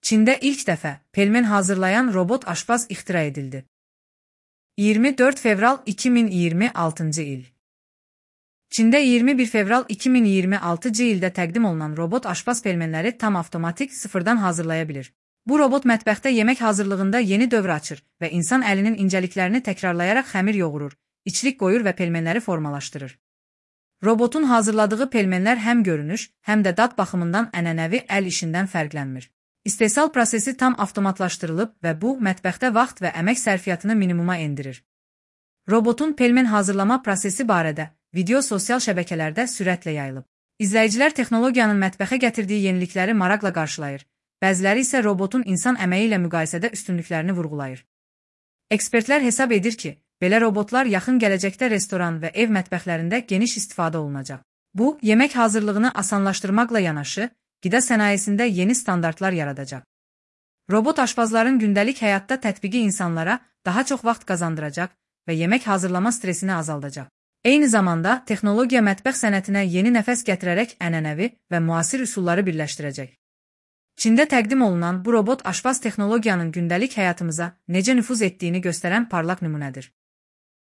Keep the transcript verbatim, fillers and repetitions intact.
Çində ilk dəfə pelmen hazırlayan robot aşpaz ixtira edildi. iyirmi dörd fevral iki min iyirmi altıncı il. Çində iyirmi bir fevral iki min iyirmi altıncı ildə təqdim olunan robot aşpaz pelmenləri tam avtomatik sıfırdan hazırlaya bilir. Bu robot mətbəxdə yemək hazırlığında yeni dövr açır və insan əlinin incəliklərini təkrarlayaraq xəmir yoğurur, içlik qoyur və pelmenləri formalaşdırır. Robotun hazırladığı pelmenlər həm görünüş, həm də dad baxımından ənənəvi əl işindən fərqlənmir. İstehsal prosesi tam avtomatlaşdırılıb və bu, mətbəxdə vaxt və əmək sərfiyyatını minimuma endirir. Robotun pelmen hazırlama prosesi barədə video sosial şəbəkələrdə sürətlə yayılıb. İzləyicilər texnologiyanın mətbəxə gətirdiyi yenilikləri maraqla qarşılayır, bəziləri isə robotun insan əməyi ilə müqayisədə üstünlüklərini vurğulayır. Ekspertlər hesab edir ki, belə robotlar yaxın gələcəkdə restoran və ev mətbəxlərində geniş istifadə olunacaq. Bu, yemək hazırlığını asanlaşdırmaqla yanaşı, qida sənayesində yeni standartlar yaradacaq. Robot aşpazların gündəlik həyatda tətbiqi insanlara daha çox vaxt qazandıracaq və yemək hazırlama stresini azaldacaq. Eyni zamanda, texnologiya mətbəx sənətinə yeni nəfəs gətirərək ənənəvi və müasir üsulları birləşdirəcək. Çində təqdim olunan bu robot aşpaz texnologiyanın gündəlik həyatımıza necə nüfuz etdiyini göstərən parlaq nümunədir.